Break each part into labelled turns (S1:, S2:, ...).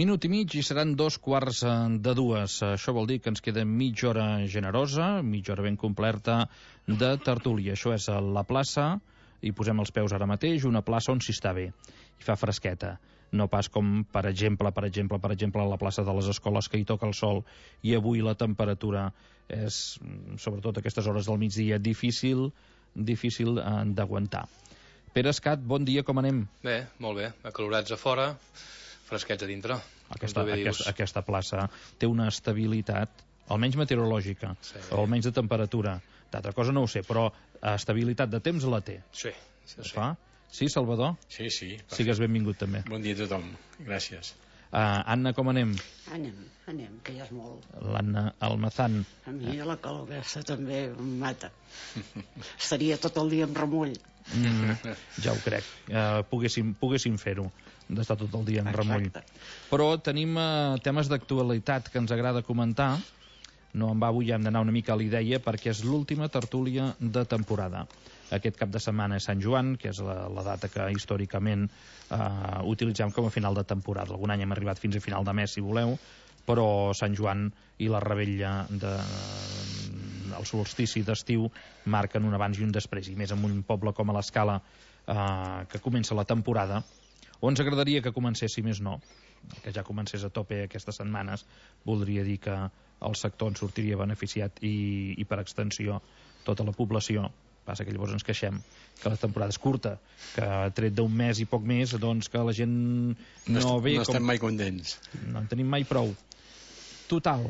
S1: minut i mig i seran 2:15. Això vol dir que ens queda mitja hora generosa, mitja hora ben complerta de tertúlia. Això és a la plaça, i posem els peus ara mateix, una plaça on s'hi està bé i fa fresqueta. No pas com, per exemple, a la plaça de les Escoles, que hi toca el sol i avui la temperatura és, sobretot a aquestes hores del migdia, difícil d'aguantar. Pere Escat, bon dia, com anem?
S2: Bé, molt bé, acalorats a fora, fresquets a dintre.
S1: Aquesta plaça té una estabilitat, almenys meteorològica, sí, o almenys de temperatura. D'altra cosa no ho sé, però estabilitat de temps la té.
S2: Sí.
S1: Fa? Sí, Salvador?
S3: Sí.
S1: Sigues benvingut també.
S3: Bon dia a tothom, gràcies.
S1: Anna, com anem?
S4: Anem, que ja és molt.
S1: L'Anna Almazán.
S4: A mi la calor aquesta també em mata. Estaria tot el dia en remull.
S1: Ja ho crec. Poguéssim fer-ho, d'estar tot el dia en remull. Però tenim temes d'actualitat que ens agrada comentar. No en va avui, hem d'anar una mica a l'idea, perquè és l'última tertúlia de temporada. Aquest cap de setmana és Sant Joan, que és la data que històricament utilitzem com a final de temporada. Algun any hem arribat fins a final de mes, si voleu, però Sant Joan i la revetlla el solstici d'estiu marquen un abans i un després, i més en un poble com a l'Escala, que comença la temporada, on ens agradaria que comencés, si més no, que ja comencés a tope aquestes setmanes. Voldria dir que el sector en sortiria beneficiat i per extensió tota la població. Passa que llavors ens queixem que la temporada és curta, que tret d'un mes i poc més, doncs que la gent no ve...
S3: No estem mai contents.
S1: No en tenim mai prou. Total,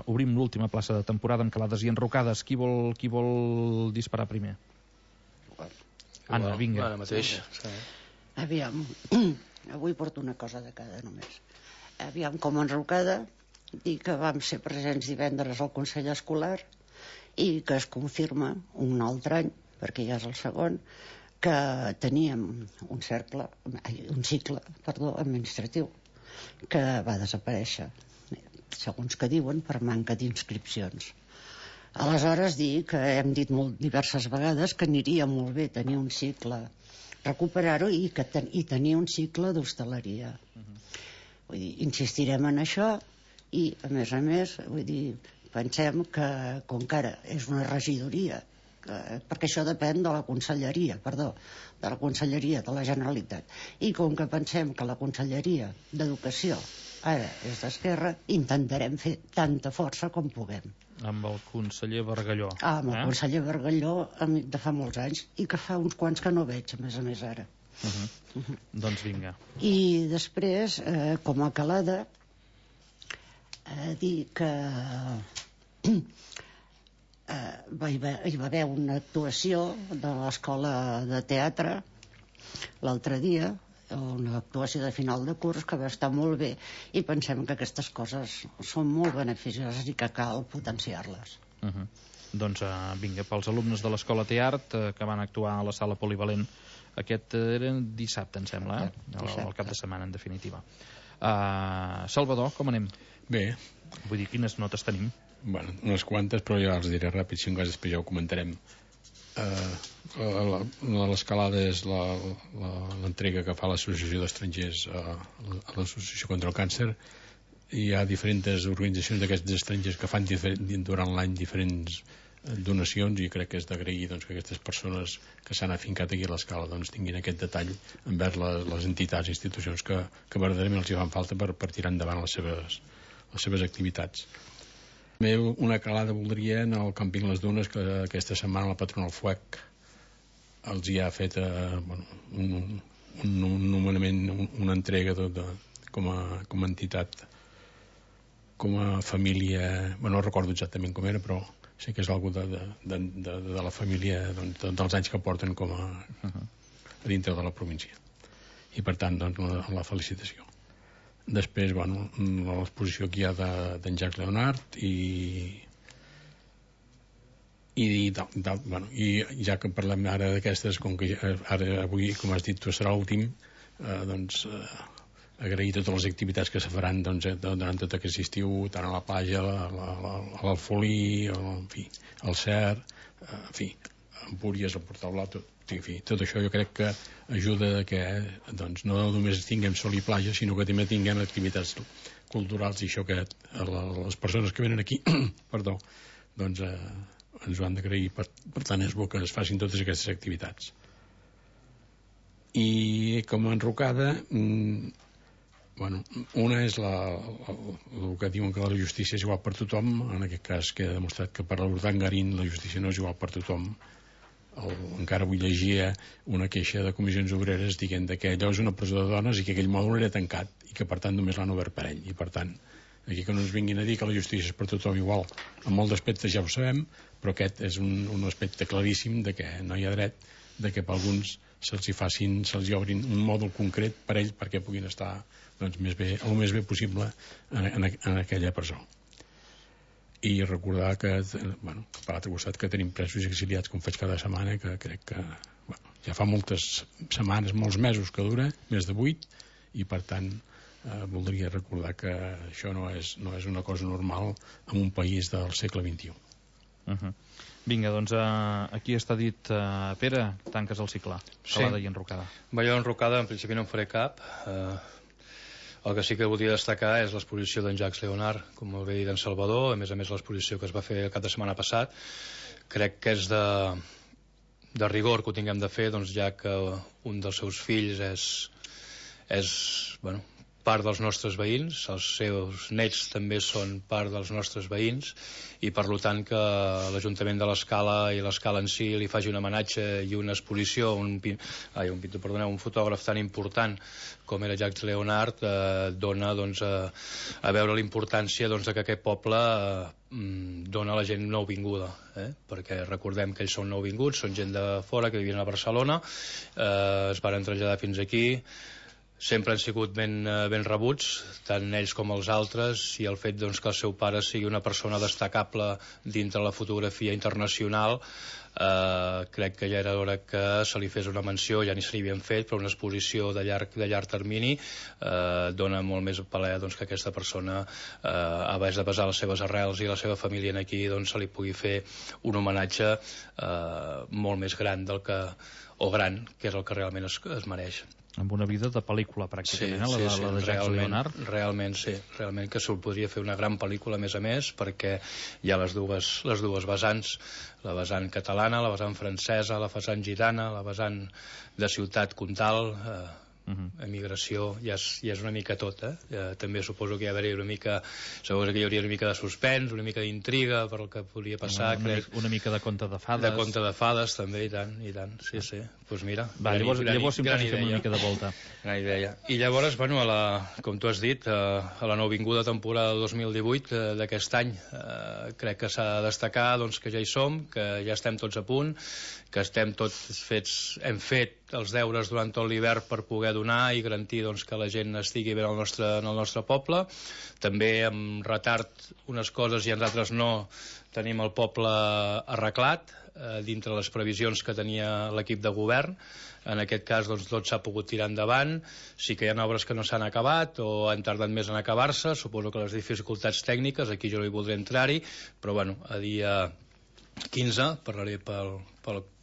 S1: obrim l'última plaça de temporada amb calades i enrocades. Qui vol disparar primer? Anna, vinga.
S2: Ara mateix.
S4: Aviam, avui porto una cosa de cada només. Aviam, com a enrocada, dir que vam ser presents divendres al Consell Escolar i que es confirma un altre any, perquè ja és el segon, que teníem un cicle administratiu que va desaparèixer, segons que diuen, per manca d'inscripcions. Aleshores, dir que hem dit diverses vegades que aniria molt bé tenir un cicle, recuperar-ho i tenir un cicle d'hostaleria. Vull dir, insistirem en això i, a més, vull dir, pensem que, com que ara és una regidoria, perquè això depèn de la Conselleria, de la Generalitat, i com que pensem que la Conselleria d'Educació ara és d'Esquerra, intentarem fer tanta força com puguem.
S1: Amb el conseller Bargalló.
S4: Amb el conseller Bargalló, amic de fa molts anys, i que fa uns quants que no veig, a més ara.
S1: Doncs vinga.
S4: I després, com a calada, dir que hi va haver una actuació de l'escola de teatre l'altre dia, una actuació de final de curs que va estar molt bé, i pensem que aquestes coses són molt beneficioses i que cal potenciar-les.
S1: Doncs vinga, pels alumnes de l'Escola Teart que van actuar a la sala polivalent aquest era dissabte, em sembla, el cap de setmana, en definitiva. Salvador, com anem?
S3: Bé.
S1: Vull dir, quines notes tenim?
S3: Bueno, unes quantes, però ja els diré ràpid, si en cas després ja ho comentarem. L'escalada és l'entrega que fa l'Associació d'Estrangers a l'Associació contra el Càncer. Hi ha diferents organitzacions d'aquests estrangers que fan durant l'any diferents donacions, i crec que és d'agrair, doncs, que aquestes persones que s'han afincat aquí a l'Escala doncs, tinguin aquest detall envers les entitats i institucions que verdaderament els hi fan falta per tirar endavant les seves activitats. També una calada voldria en el càmping Les Dunes, que aquesta setmana la Patronal Fuec els hi ha fet un nomenament, una entrega com a entitat, com a família, no recordo exactament com era, però sé que és algú de la família, doncs, dels anys que porten com a dintre de la província, i per tant doncs, la felicitació. Després, l'exposició que hi ha d'en Jacques Leonard i ja que parlem ara d'aquestes, com que ara avui, com has dit tu, serà l'últim, doncs agrair totes les activitats que se faran durant tot aquest estiu, tant a la platja, a l'Alfolí, al Cer, en fi, Empúries, el Portal Blau, tot això jo crec que ajuda que doncs, no només tinguem sol i platja, sinó que també tinguem activitats culturals, i això que les persones que venen aquí perdó, doncs ens ho han d'agrair. Per tant és bo que es facin totes aquestes activitats. I com a enrocada, bueno, una és el que diuen que la justícia és igual per tothom. En aquest cas queda demostrat que per l'Urdangarín la justícia no és igual per tothom. Encara avui llegia una queixa de comissions obreres dient que allò és una presó de dones i que aquell mòdul era tancat i que per tant només l'han obert per ell. I per tant, aquí que no ens vinguin a dir que la justícia és per tothom igual, en molts aspectes ja ho sabem, però aquest és un aspecte claríssim de que no hi ha dret de que per alguns se'ls obrin un mòdul concret per ell perquè puguin estar doncs, el més bé possible en aquella presó. I recordar que, bueno, per l'altre costat, que tenim presos i exiliats com faig cada setmana, que crec que ja fa moltes setmanes, molts mesos que dura, més de 8, i per tant voldria recordar que això no és una cosa normal en un país del segle XXI.
S1: Vinga, doncs aquí està dit. Pere, tanques el cicle. Calada i enrocada.
S2: Jo enrocada en principi no en faré cap. El que sí que voldria destacar és l'exposició d'en Jacques Leonard, com molt bé dit, d'en Salvador. A més l'exposició que es va fer el cap de setmana passat crec que és de rigor que ho tinguem de fer, doncs, ja que un dels seus fills és part dels nostres veïns, els seus nets també són part dels nostres veïns, i per tant que l'Ajuntament de l'Escala i l'Escala en si li faci un homenatge i una exposició, un fotògraf tan important com era Jacques Leonard, dona doncs, a veure la importància doncs, que aquest poble dona a la gent nouvinguda, perquè recordem que ells són nouvinguts, són gent de fora que vivien a Barcelona, es van traslladar fins aquí. Sempre han sigut ben rebuts, tant ells com els altres, i el fet doncs, que el seu pare sigui una persona destacable dintre la fotografia internacional, crec que ja era hora que se li fes una menció, ja ni se n'hi havien fet, però una exposició de llarg termini dona molt més paler doncs, que aquesta persona, a base de basar les seves arrels i la seva família aquí, doncs, se li pugui fer un homenatge molt més gran que és el que realment es mereix.
S1: Amb una vida de pel·lícula, pràcticament, la de Jacques Leonard.
S2: Realment, sí. Realment que se'l podria fer una gran pel·lícula, a més, perquè hi ha les dues vessants, la vessant catalana, la vessant francesa, la vessant gitana, la vessant de ciutat comtal, emigració, ja és una mica tot, també suposo que hi hauria una mica de suspens, una mica d'intriga per el que podria passar,
S1: una mica de conte de fades.
S2: De conte de fades, també, i tant, sí. Doncs mira,
S1: llavors simplement fem una mica de volta.
S2: Gran idea. I llavors, com tu has dit, a la nouvinguda temporada 2018 d'aquest any, crec que s'ha de destacar doncs, que ja hi som, que ja estem tots a punt, que estem tots hem fet els deures durant tot l'hivern per poder donar i garantir doncs, que la gent estigui bé en el nostre poble. També amb retard unes coses i en altres no tenim el poble arreglat dintre les previsions que tenia l'equip de govern. En aquest cas doncs, tot s'ha pogut tirar endavant. Sí que hi ha obres que no s'han acabat o han tardat més en acabar-se. Suposo que les dificultats tècniques, aquí jo no hi voldré entrar-hi, però a dia 15, parlaré pel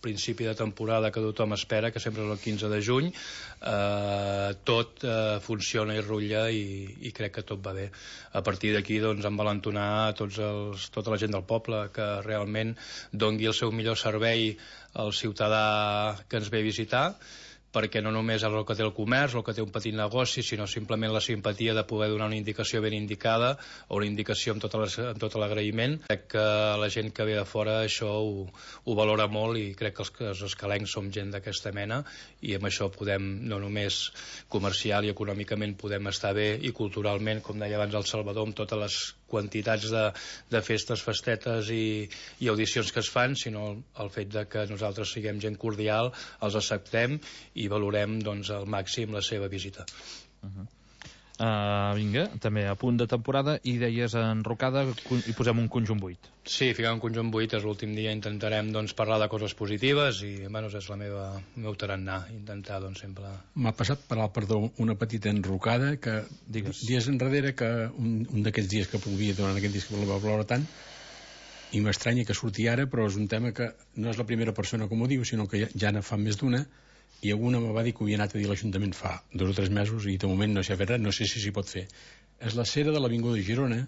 S2: principi de temporada que tothom espera, que sempre és el 15 de juny, tot funciona i rutlla i crec que tot va bé. A partir d'aquí doncs, envalentonar tota la gent del poble que realment dongui el seu millor servei al ciutadà que ens ve a visitar, perquè no només és el que té el comerç o el que té un petit negoci, sinó simplement la simpatia de poder donar una indicació ben indicada o una indicació amb tot l'agraïment. Crec que la gent que ve de fora això ho valora molt i crec que els escalencs som gent d'aquesta mena i amb això podem, no només comercial i econòmicament podem estar bé i culturalment, com deia abans el Salvador, amb totes les quantitats de festes, festetes i audicions que es fan, sinó el fet de que nosaltres siguem gent cordial, els acceptem i valorem doncs, al màxim la seva visita.
S1: Vinga, també a punt de temporada, i deies enrocada i posem un conjunt buit.
S2: Sí, ficar un conjunt buit és l'últim dia, intentarem doncs, parlar de coses positives i és el meu tarannà, intentar doncs, sempre...
S3: M'ha passat per una petita enrocada que dies enrere, que un d'aquests dies que plovia, durant aquest dia que va ploure tant, i m'estranya que surti ara, però és un tema que no és la primera persona que m'ho diu, sinó que ja ne fa més d'una, i alguna me va dir que ho havia anat a dir a l'Ajuntament fa 2 o 3 mesos i de moment no s'ha fet res, no sé si s'hi pot fer. És la cera de l'Avinguda de Girona,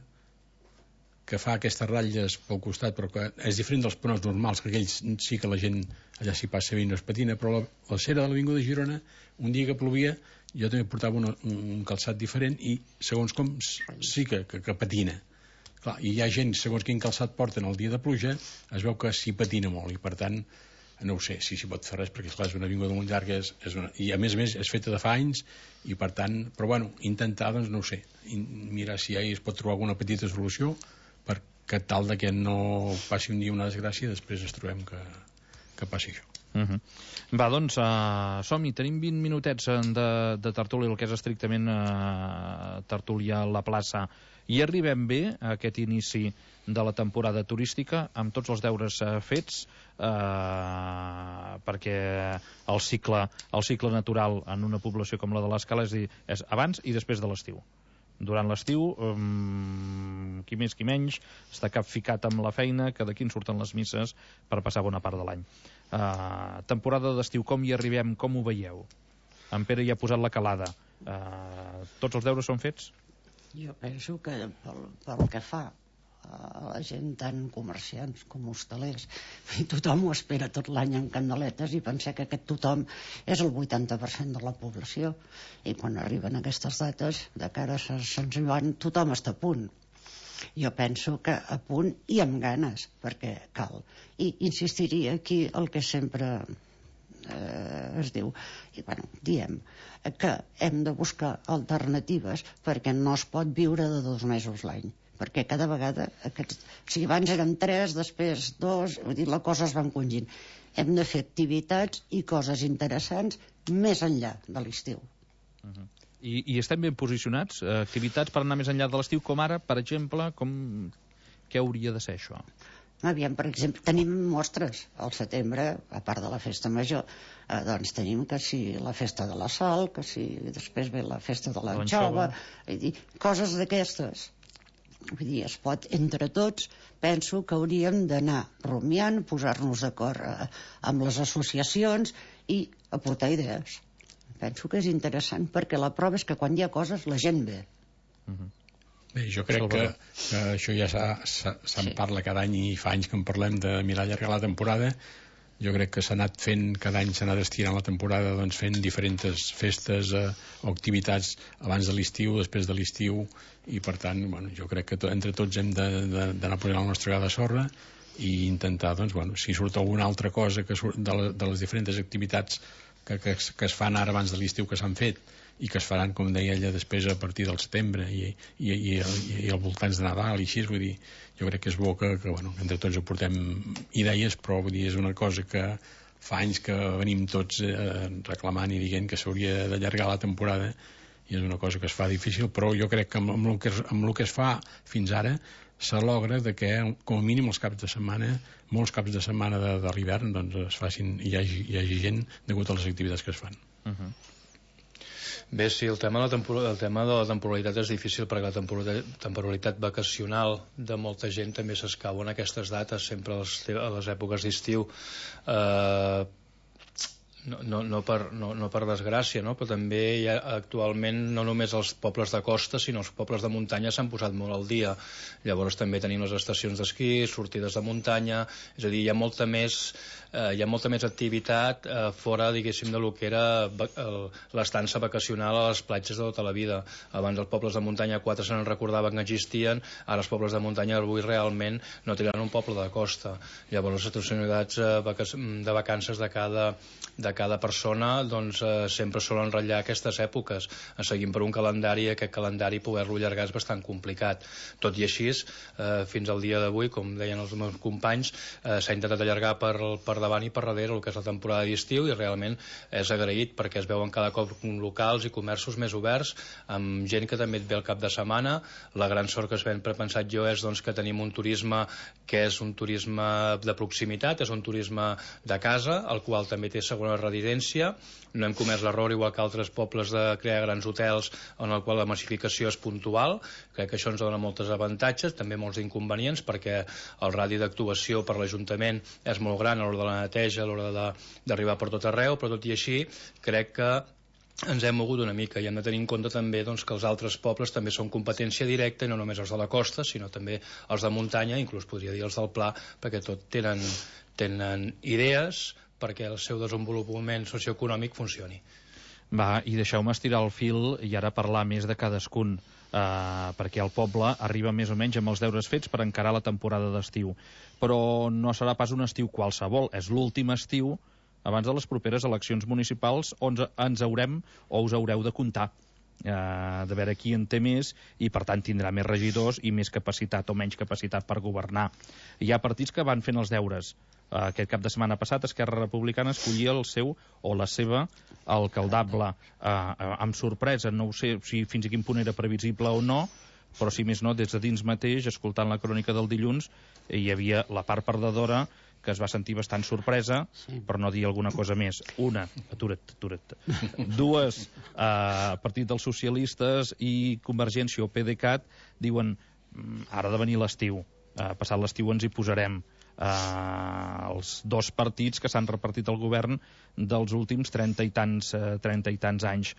S3: que fa aquestes ratlles pel costat, però que és diferent dels ponents normals, que aquells sí que la gent allà s'hi passa bé i no es patina, però la cera de l'Avinguda de Girona, un dia que plovia, jo també portava un calçat diferent i segons com sí que patina. Clar, i hi ha gent, segons quin calçat porten el dia de pluja, es veu que s'hi patina molt i per tant no ho sé si s'hi pot fer res, perquè esclar, és una avinguda molt llarga i a més és feta de fa anys i per tant, però bueno, intentar doncs no ho sé, mirar si es pot trobar alguna petita solució perquè tal de que no passi un dia una desgràcia, després ens trobem que passi això.
S1: Va, doncs, som-hi, tenim 20 minutets de tertúlia, el que és estrictament tertúlia a la plaça, i arribem bé a aquest inici de la temporada turística amb tots els deures fets, perquè el cicle natural en una població com la de l'Escala és abans i després de l'estiu. Durant l'estiu, qui més qui menys, està capficat amb la feina, que d'aquí en surten les misses per passar bona part de l'any. Temporada d'estiu, com hi arribem, com ho veieu? En Pere ja ha posat la calada. Tots els deures són fets?
S4: Jo penso que pel que fa a la gent, tant comerciants com hostalers, i tothom ho espera tot l'any amb candeletes, i pensar que aquest tothom és el 80% de la població, i quan arriben aquestes dates de cara a Sant Joan tothom està a punt. Jo penso que a punt i amb ganes, perquè cal, i insistiria aquí el que sempre es diu, i bueno, diem que hem de buscar alternatives, perquè no es pot viure de 2 mesos l'any, perquè cada vegada si abans eren 3, després 2, vull dir, la cosa es va encongint. Hem de fer activitats i coses interessants més enllà de l'estiu.
S1: I estem ben posicionats? Activitats per anar més enllà de l'estiu, com ara, per exemple, què hauria de ser això?
S4: Aviam, per exemple, tenim mostres al setembre, a part de la festa major, doncs tenim que si la festa de la Sal, que si després ve la festa de l'Anxova, coses d'aquestes. Vull dir, es pot, entre tots, penso que hauríem d'anar rumiant, posar-nos d'acord amb les associacions i aportar idees. Penso que és interessant, perquè la prova és que quan hi ha coses la gent ve.
S3: Bé, jo crec que això ja se'n parla cada any i fa anys que en parlem de mirar allargar la temporada. Jo crec que s'ha anat fent, cada any s'ha anat estirant la temporada, doncs fent diferents festes o activitats abans de l'estiu, després de l'estiu, i per tant, bueno, jo crec que entre tots hem d'anar posant la nostra gra de sorra i intentar, doncs, bueno, si surt alguna altra cosa que surt de les diferents activitats que es fan ara abans de l'estiu que s'han fet i que es faran, com deia ella, després a partir del setembre i al voltants de Nadal i així, vull dir, jo crec que és bo que bueno, entre tots aportem idees, però vull dir, és una cosa que fa anys que venim tots reclamant i dient que s'hauria d'allargar la temporada i és una cosa que es fa difícil, però jo crec que amb el que es fa fins ara se logra de que com a mínim els caps de setmana, molts caps de setmana de l'hivern, doncs es facin i hi hagi gent degut a les activitats que es fan.
S2: Bé, sí, el tema de la temporalitat és difícil perquè la temporalitat vacacional de molta gent també s'escau en aquestes dates, sempre a les èpoques d'estiu. No per desgràcia, no? Però també hi ha, actualment no només els pobles de costa sinó els pobles de muntanya s'han posat molt al dia. Llavors també tenim les estacions d'esquí, sortides de muntanya, és a dir, hi ha molta més activitat fora, diguéssim, de lo que era l'estança vacacional a les platges de tota la vida. Abans els pobles de muntanya 4 se n'en recordaven que existien, ara els pobles de muntanya avui realment no tenen un poble de costa. Llavors les estacionalitats de vacances de cada persona doncs sempre solen ratllar aquestes èpoques. Seguim per un calendari, aquest calendari poder-lo allargar és bastant complicat. Tot i així, fins al dia d'avui, com deien els meus companys, s'ha intentat allargar per davant i per darrere el que és la temporada d'estiu i realment és agraït perquè es veuen cada cop locals i comerços més oberts, amb gent que també et ve el cap de setmana. La gran sort que es ben prepensat jo és doncs, que tenim un turisme que és un turisme de proximitat, és un turisme de casa, el qual també té segones residència. No hem comès l'error, igual que altres pobles, de crear grans hotels en el qual la massificació és puntual. Crec que això ens dona molts avantatges, també molts inconvenients, perquè el radi d'actuació per l'Ajuntament és molt gran a l'hora de la neteja, a l'hora d'arribar per tot arreu, però tot i així crec que ens hem mogut una mica i hem de tenir en compte també que els altres pobles també són competència directa, i no només els de la costa, sinó també els de muntanya, inclús podria dir els del Pla, perquè tot tenen idees perquè el seu desenvolupament socioeconòmic funcioni.
S1: Va, i deixeu-me estirar el fil i ara parlar més de cadascun, perquè el poble arriba més o menys amb els deures fets per encarar la temporada d'estiu. Però no serà pas un estiu qualsevol, és l'últim estiu abans de les properes eleccions municipals on ens haurem o us haureu de comptar de veure qui en té més i per tant tindrà més regidors i més capacitat o menys capacitat per governar. Hi ha partits que van fent els deures. Aquest cap de setmana passat Esquerra Republicana escollia el seu o la seva alcaldable amb sorpresa. No ho sé si fins a quin punt era previsible o no, però si més no, des de dins mateix, escoltant la crònica del dilluns, hi havia la part perdedora que es va sentir bastant sorpresa, per no dir alguna cosa més. Una, atura't. Dues, Partit dels Socialistes i Convergència o PDeCAT diuen ara ha de venir l'estiu, passat l'estiu ens hi posarem. Els dos partits que s'han repartit el govern dels últims 30 i tants anys.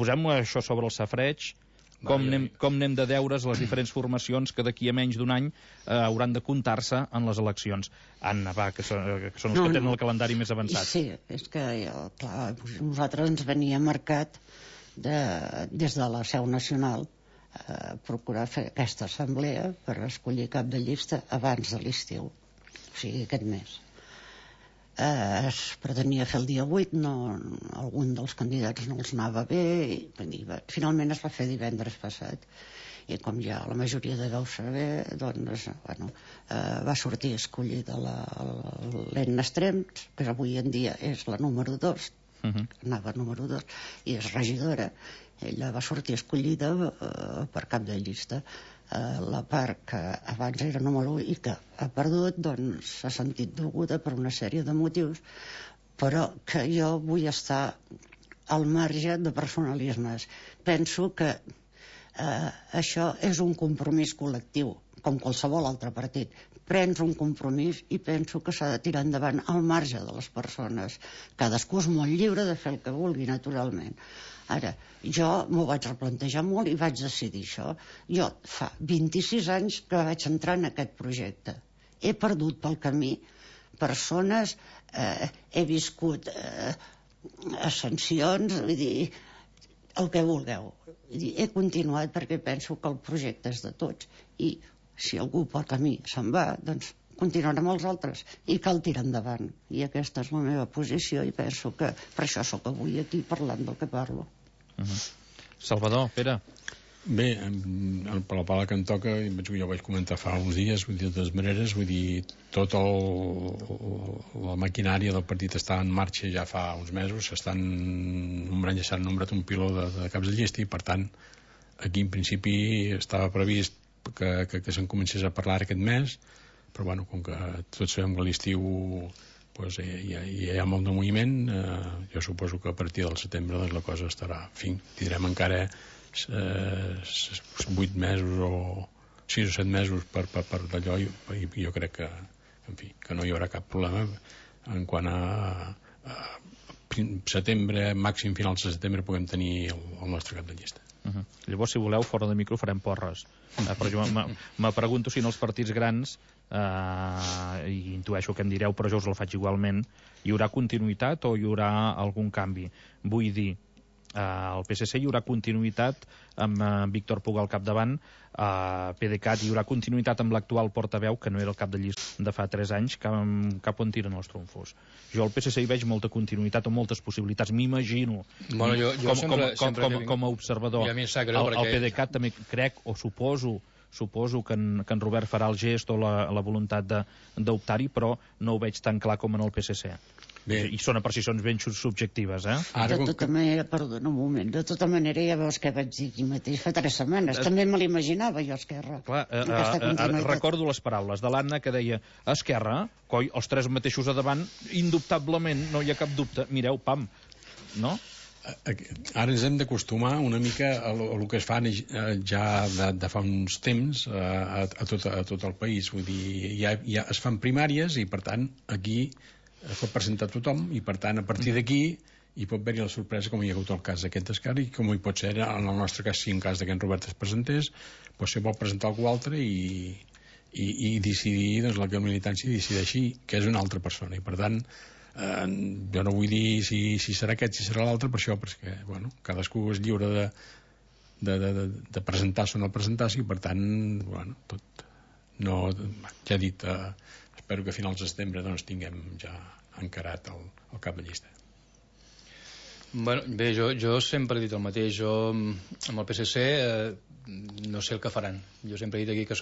S1: Posem això sobre el safareig. Com anem de deures les diferents formacions que d'aquí a menys d'un any hauran de comptar-se en les eleccions. Anna, va, que són els que tenen el calendari més avançat.
S4: Sí, és que clar, nosaltres ens venia marcat des de la seu nacional procurar fer aquesta assemblea per escollir cap de llista abans de l'estiu, o sigui, aquest mes. Es pretenia fer el dia 8, algun dels candidats no els anava bé, i finalment es va fer divendres passat, i com ja la majoria deveu saber, doncs, va sortir escollida l'Enna Estrems, que avui en dia és la número 2, anava número 2, i és regidora. Ella va sortir escollida per cap de llista. La part que abans era número 1 i que ha perdut, doncs s'ha sentit dolguda per una sèrie de motius, però que jo vull estar al marge de personalismes. Penso que això és un compromís col·lectiu, com qualsevol altre partit. Prens un compromís i penso que s'ha de tirar endavant al marge de les persones. Cadascú és molt lliure de fer el que vulgui, naturalment. Ara, jo m'ho vaig replantejar molt i vaig decidir això. Jo fa 26 anys que vaig entrar en aquest projecte. He perdut pel camí persones, he viscut ascensions, vull dir, el que vulgueu. He continuat perquè penso que el projecte és de tots i si algú pel camí se'n va, doncs continuarem amb els altres i cal tirar endavant. I aquesta és la meva posició i penso que per això sóc avui aquí parlant del que parlo.
S1: Salvador, Pere.
S3: Bé, per la pala que em toca, jo vaig comentar fa uns dies, vull dir, de totes maneres, vull dir, tota la maquinària del partit està en marxa ja fa uns mesos, s'estan nombrat un piló de caps de llista i, per tant, aquí en principi estava previst que se'n comencés a parlar aquest mes, però bueno, com que tots sabem que a l'estiu pues, hi ha molt de moviment, jo suposo que a partir del setembre doncs, la cosa estarà, en fi, tindrem encara 8 mesos o 6 o 7 mesos per d'allò i jo crec que, en fi, que no hi haurà cap problema en quant a setembre, màxim finals de setembre puguem tenir el nostre cap de llista.
S1: Llavors, si voleu, fora de micro farem porres. Però jo me pregunto si en els partits grans, i intueixo que em direu, però jo us el faig igualment, hi haurà continuïtat o hi haurà algun canvi? Vull dir, al PSC hi haurà continuïtat amb Víctor Puga al capdavant, PDeCAT hi haurà continuïtat amb l'actual portaveu, que no era el cap de llista de fa 3 anys, cap on tiren els trumfos. Jo al PSC hi veig molta continuïtat o moltes possibilitats, m'imagino, com a observador. Al PDeCAT també crec o suposo que en Robert farà el gest o la voluntat d'optar-hi, però no ho veig tan clar com en el PSC. I són apreciacions ben subjectives, eh?
S4: De tota manera, perdona un moment, de tota manera ja veus que vaig dir aquí mateix fa 3 setmanes. També me l'imaginava jo, Esquerra.
S1: Clar, recordo les paraules de l'Anna que deia Esquerra, coi, els 3 mateixos a davant, indubtablement, no hi ha cap dubte. Mireu, pam, no?
S3: Ara ens hem d'acostumar una mica a el que es fa ja de fa uns temps a tot el país. Vull dir, ja es fan primàries i, per tant, aquí es pot presentar tothom i, per tant, a partir d'aquí hi pot haver-hi la sorpresa, com hi ha hagut el cas d'aquest Esquerra i com hi pot ser, en el nostre cas, si en cas que en Robert es presentés, doncs se pot presentar algú altre i decidir, doncs la militància decideixi que és una altra persona i, per tant, jo no vull dir si serà aquest, si serà l'altre, per això, perquè, bueno, cadascú és lliure de presentar-se o no presentar-se i, per tant, bueno, tot no, ja he dit, espero que a finals de setembre doncs tinguem ja encarat el cap de llista.
S2: Bueno, bé, jo sempre he dit el mateix. Jo amb el PSC no sé el que faran. Jo sempre he dit aquí que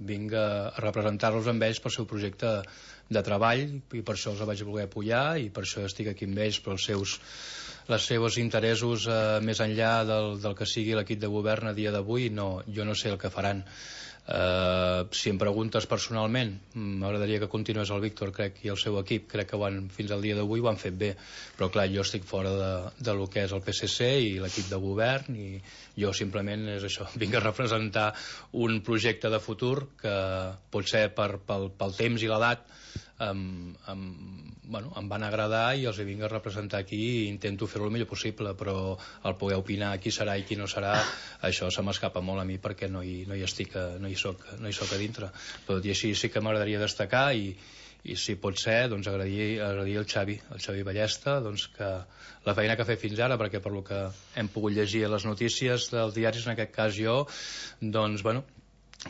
S2: vinc a representar-los amb ells pel seu projecte de treball i per això els vaig voler apoyar i per això estic aquí amb ells pels seus interessos més enllà del que sigui l'equip de govern a dia d'avui. No, jo no sé el que faran. Si em preguntes personalment, m'agradaria que continués el Víctor, crec, i el seu equip, crec que fins al dia d'avui ho han fet bé, però clar, jo estic fora de lo que és el PSC i l'equip de govern i jo simplement és això, vinc a representar un projecte de futur que potser pel temps i l'edat em van agradar i els hi vinc a representar aquí i intento fer-ho el millor possible, però el poder opinar qui serà i qui no serà, això se m'escapa molt a mi perquè no hi soc a dintre. Però tot i així sí que m'agradaria destacar i si pot ser, doncs agrair el Xavi Ballesta, doncs que la feina que ha fet fins ara, perquè per lo que hem pogut llegir a les notícies dels diaris, en aquest cas jo, doncs bueno,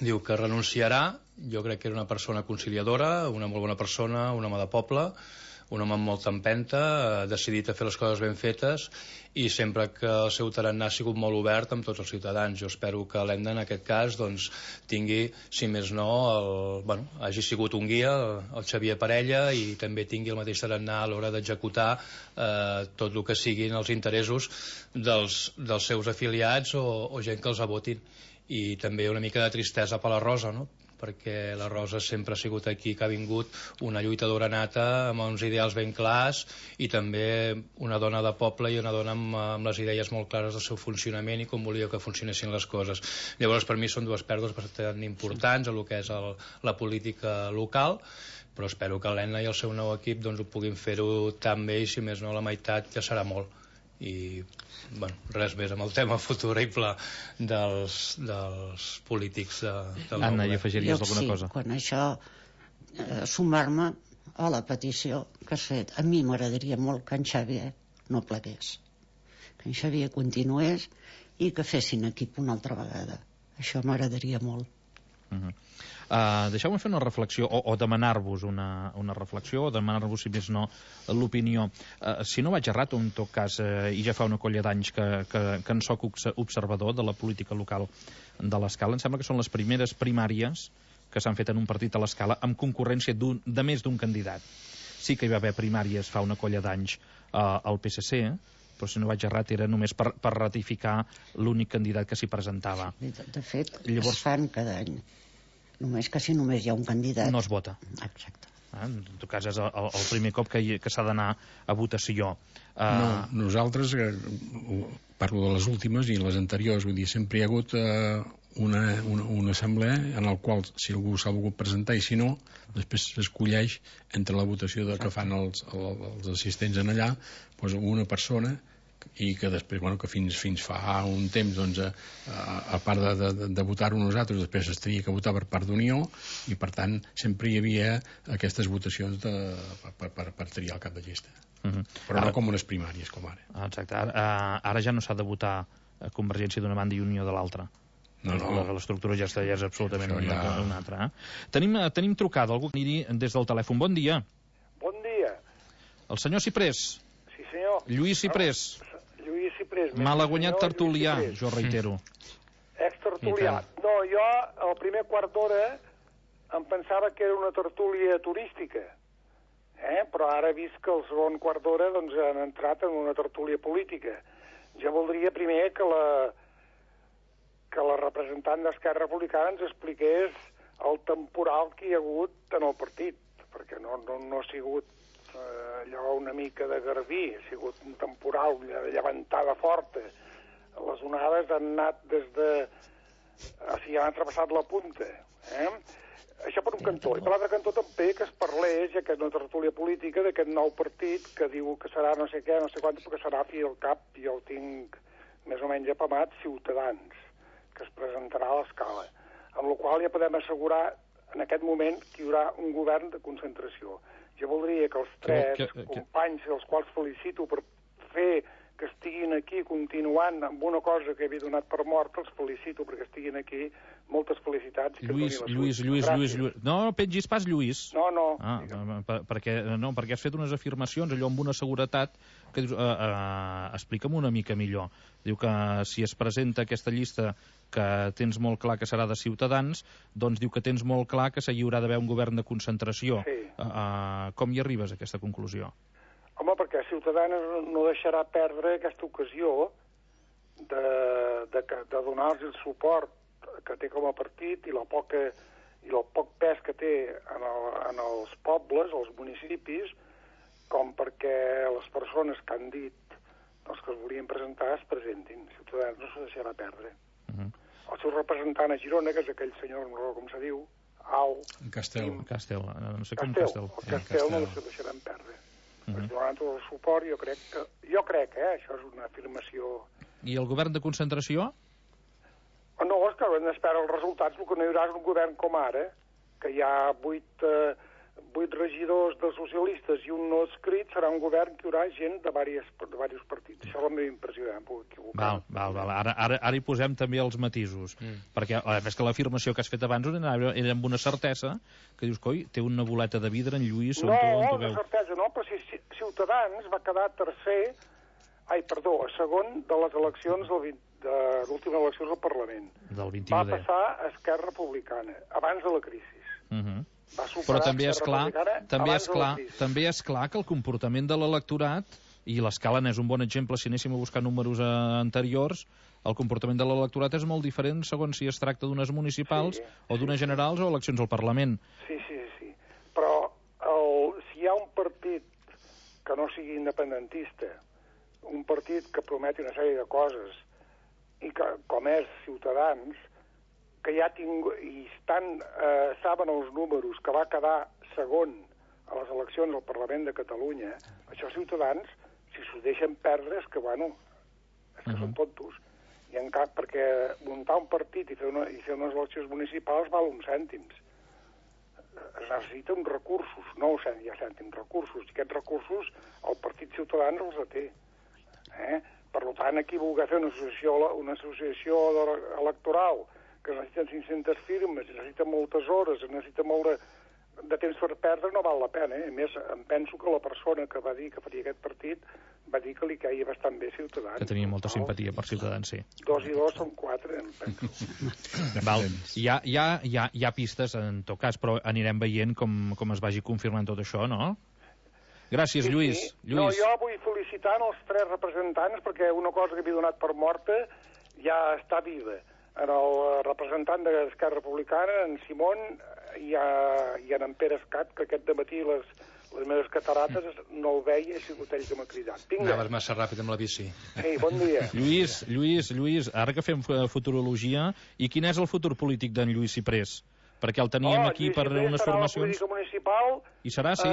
S2: diu que renunciarà. Jo crec que era una persona conciliadora, una molt bona persona, un home de poble, un home amb molta empenta, decidit a fer les coses ben fetes i sempre que el seu tarannà ha sigut molt obert amb tots els ciutadans. Jo espero que l'Enda en aquest cas doncs, tingui, si més no, hagi sigut un guia, el Xavier Parella, i també tingui el mateix tarannà a l'hora d'executar tot el que siguin els interessos dels seus afiliats o gent que els votin. I també una mica de tristesa per la Rosa, no? Perquè la Rosa sempre ha sigut aquí, que ha vingut una lluitadora nata amb uns ideals ben clars i també una dona de poble i una dona amb les idees molt clares del seu funcionament i com volia que funcionessin les coses. Llavors per mi són dues pèrdues bastant importants a el que és la política local, però espero que l'Enna i el seu nou equip doncs, ho puguin fer-ho tan bé i si més no la meitat ja serà molt. I bueno, res més amb el tema futurible dels polítics del
S1: Anna, hi afegiries alguna cosa?
S4: Quan això sumar-me a la petició que has fet, a mi m'agradaria molt que en Xavier no plegués, que en Xavier continués i que fessin equip una altra vegada. Això m'agradaria molt.
S1: Deixeu-me fer una reflexió o demanar-vos una reflexió o demanar-vos, si més no, l'opinió. Si no vaig errat, en tot cas, i ja fa una colla d'anys que en soc observador de la política local de l'Escala, em sembla que són les primeres primàries que s'han fet en un partit a l'Escala amb concurrència de més d'un candidat. Sí que hi va haver primàries fa una colla d'anys al PSC, però si no vaig errat era només per ratificar l'únic candidat que s'hi presentava.
S4: De fet, llavors, es fan cada any. Només que si només hi ha un candidat...
S1: No es vota.
S4: Exacte.
S1: En tot cas és el primer cop que s'ha d'anar a votació.
S3: No, nosaltres, parlo de les últimes i les anteriors, vull dir, sempre hi ha hagut una assemblea en la qual si algú s'ha volgut presentar i si no, després s'escolleix entre la votació que fan els assistents en allà, doncs una persona i que després, bueno, que fins fa un temps, doncs, a part de votar-ho nosaltres, després es tenia que votar per part d'Unió i, per tant, sempre hi havia aquestes votacions per triar el cap de llista. Però no com unes primàries, com ara.
S1: Exacte. Ara ja no s'ha de votar Convergència d'una banda i Unió de l'altra. No. L'estructura ja és absolutament una altra. Tenim trucada, algú que anirhi des del telèfon. Bon dia.
S5: Bon dia.
S1: El senyor Ciprés.
S5: Sí, senyor.
S1: Lluís Ciprés.
S5: Lluís Ciprés.
S1: Malaguanyat tertulià, jo reitero.
S5: Ex-tertulià. No, jo al primer quart d'hora em pensava que era una tertúlia turística. Però ara he vist que el segon quart d'hora doncs, han entrat en una tertúlia política. Jo voldria primer que la representant d'Esquerra Republicana ens expliqués el temporal que hi ha hagut en el partit, perquè no ha sigut allò una mica de garbí, ha sigut un temporal de llevantada forta. Les onades han anat des de... O sigui, han travessat la punta. Això per un cantó. I per l'altre cantó també que es parlés, ja que és una tertúlia política, d'aquest nou partit que diu que serà no sé què, no sé quant, perquè serà fi al cap, jo el tinc més o menys apamat, Ciutadans, que es presentarà a l'Escala. Amb la qual ja podem assegurar en aquest moment que hi haurà un govern de concentració. Jo voldria que els tres companys, els quals felicito per fer que estiguin aquí continuant amb una cosa que havia donat per mort, els felicito perquè estiguin aquí. Moltes felicitats.
S1: Lluís. No pengis pas, Lluís.
S5: No.
S1: Perquè has fet unes afirmacions, allò amb una seguretat, que dius, explica'm una mica millor. Diu que si es presenta aquesta llista que tens molt clar que serà de Ciutadans, doncs diu que tens molt clar que hi haurà d'haver un govern de concentració.
S5: Sí.
S1: Com hi arribes a aquesta conclusió?
S5: Home, perquè Ciutadans no deixarà perdre aquesta ocasió de donar-los el suport que té com a partit i el poc pes que té en els pobles, als municipis, com perquè les persones que han dit els que es volien presentar es presentin. Ciutadans no s'ho deixarà perdre. El seu representant a Girona, que és aquell senyor, no recordo com se diu,
S1: Castel, no sé com
S5: Castel. El Castel no s'ho deixaran perdre. Es donaran tot el suport, jo crec, això és una afirmació...
S1: I el govern de concentració?
S5: No, és que hem d'esperar els resultats, el que no hi haurà és un govern com ara, que hi ha 8 regidors de socialistes i un no escrit, serà un govern que hi haurà gent de diversos partits. Això és la meva impressió, em puc equivocar.
S1: Val. Ara hi posem també els matisos, perquè és que l'afirmació que has fet abans era amb una certesa, que dius, coi, té una boleta de vidre en Lluís...
S5: No, una certesa no, però si Ciutadans va quedar segon de les eleccions de l'última elecció del Parlament.
S1: Del 21D.
S5: Va passar a Esquerra Republicana, abans de la crisi.
S1: Però també és clar que el comportament de l'electorat, i l'Escala n'és un bon exemple si anéssim a buscar números anteriors, el comportament de l'electorat és molt diferent segons si es tracta d'unes municipals o d'unes generals o eleccions al Parlament.
S5: Sí. Però si hi ha un partit que no sigui independentista, un partit que prometi una sèrie de coses, i que, com és Ciutadans, que ja saben els números, que va quedar segon a les eleccions al Parlament de Catalunya, això Ciutadans, si s'ho deixen perdre, és que són tontos. I en cap, perquè muntar un partit i fer unes eleccions municipals val uns cèntims. Es necessiten recursos, no cèntims, recursos. I aquests recursos el Partit Ciutadans els té. Per tant, aquí voler fer una associació electoral que necessiten 500 firmes, necessita moltes hores, necessita molt de temps per perdre, no val la pena. A més, em penso que la persona que va dir que faria aquest partit va dir que li caia bastant bé Ciutadans.
S1: Que tenia molta simpatia per Ciutadans, sí.
S5: 2 i 2 són 4, em penso.
S1: Val. Hi ha pistes, en tot cas, però anirem veient com es vagi confirmant tot això, no? Gràcies, Lluís.
S5: No, jo vull felicitar els 3 representants perquè una cosa que havia donat per morta ja està viva. El representant d'Esquerra Republicana, en Simón, i en Pere Escat, que aquest dematí les meves catarates no el veia, ha sigut ell que m'ha cridat.
S2: Anaves massa ràpid amb la bici.
S5: Sí, bon dia.
S1: Lluís, ara que fem futurologia, i quin és el futur polític d'en Lluís Ciprés? Perquè el teníem aquí per unes formacions...
S5: Lluís municipal...
S1: I serà, sí?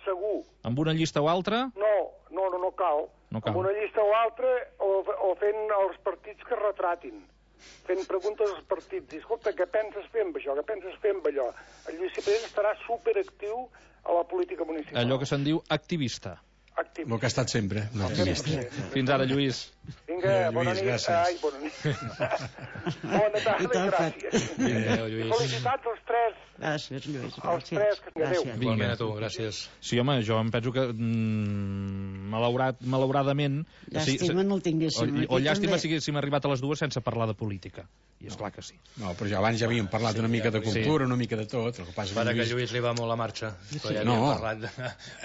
S5: Segur.
S1: Amb una llista o altra?
S5: No cal. Amb una llista o altra o fent els partits que retratin. Fent preguntes als partits. Escolta, què penses fer amb això? Què penses fer amb allò? El Lluís Ciprés estarà superactiu a la política municipal.
S1: Allò que se'n diu activista.
S5: Activista.
S3: El que ha estat sempre, un activista.
S1: Fins ara, Lluís.
S5: Vinga, bona nit.
S3: Gràcies.
S5: Ai, bona nit. Bona tarda, gràcies. Felicitats als 3.
S4: Gràcies, Lluís.
S5: Els 3 que adéu.
S2: Igualment a tu, gràcies.
S1: Sí, home, jo em penso que malauradament...
S4: Llàstima no el tinguéssim.
S1: O llàstima si haguéssim arribat a les dues sense parlar de política. I és clar que sí.
S3: No, però abans ja havíem parlat una mica de cultura, una mica de tot. El que passa
S2: que Lluís li va molt la marxa. Però ja havíem parlat de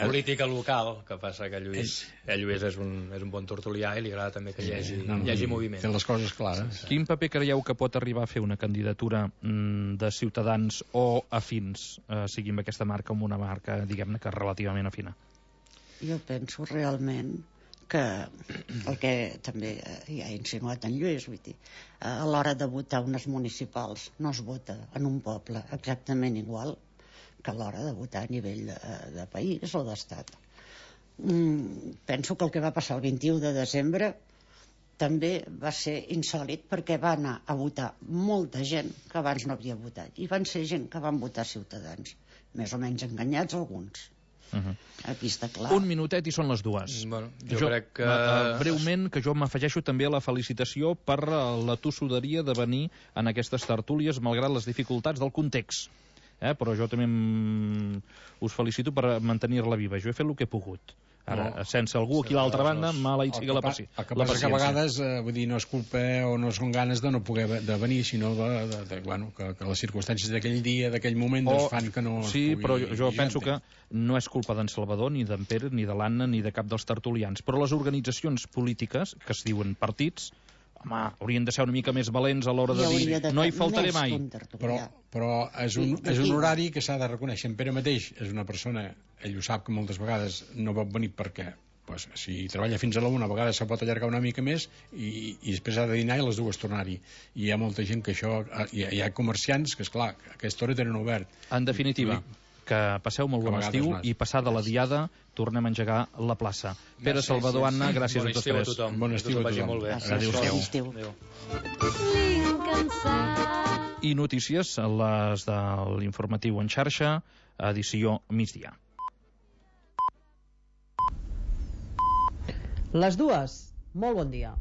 S2: política local. El que passa que Lluís és un bon tertulià i li agrada també que hi hagi moviment.
S3: Té les coses clares.
S1: Quin paper creieu que pot arribar a fer una candidatura de Ciutadans o afins, sigui amb aquesta marca o amb una marca, diguem-ne, que relativament afina?
S4: Jo penso realment que el que també ja ha insinuat en Lluís, vull dir, a l'hora de votar unes municipals no es vota en un poble exactament igual que a l'hora de votar a nivell de país o d'estat. Penso que el que va passar el 21 de desembre també va ser insòlid perquè va anar a votar molta gent que abans no havia votat i van ser gent que van votar Ciutadans, més o menys enganyats alguns. Aquí està clar.
S1: Un minutet i són les dues.
S2: Bueno, jo crec que...
S1: Breument, que jo m'afegeixo també a la felicitació per la tossuderia de venir en aquestes tertúlies malgrat les dificultats del context. Però jo també us felicito per mantenir-la viva. Jo he fet el que he pogut. Ara, sense algú aquí a l'altra banda, mala hi sigui la paciència.
S3: El que passa que a vegades, vull dir, no és culpa o no són ganes de no poder venir, sinó que les circumstàncies d'aquell dia, d'aquell moment, fan que no...
S1: Sí, però jo penso que no és culpa d'en Salvador, ni d'en Pere, ni de l'Anna, ni de cap dels tertulians. Però les organitzacions polítiques, que es diuen partits, home, haurien de ser una mica més valents a l'hora de dir no hi faltaré mai.
S3: Però és un horari que s'ha de reconèixer. En Pere mateix és una persona, ell ho sap, que moltes vegades no pot venir perquè si treballa fins a la 1 a vegades se pot allargar una mica més i després ha de dinar i a les 2 tornar-hi. I hi ha molta gent que això... Hi ha comerciants que, esclar, a aquesta hora tenen obert.
S1: En definitiva, que passeu molt bon estiu i passada la diada tornem a engegar la plaça. Pere, Salvador, Anna, gràcies a tots tres.
S3: Bon estiu a tothom.
S4: Adéu-siau.
S1: I notícies, les de l'informatiu en xarxa, edició migdia.
S6: Les dues. Molt bon dia.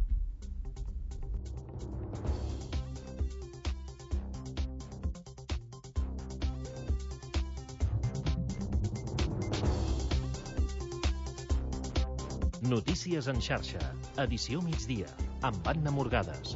S7: Notícies en xarxa, edició migdia, amb Anna Morgades.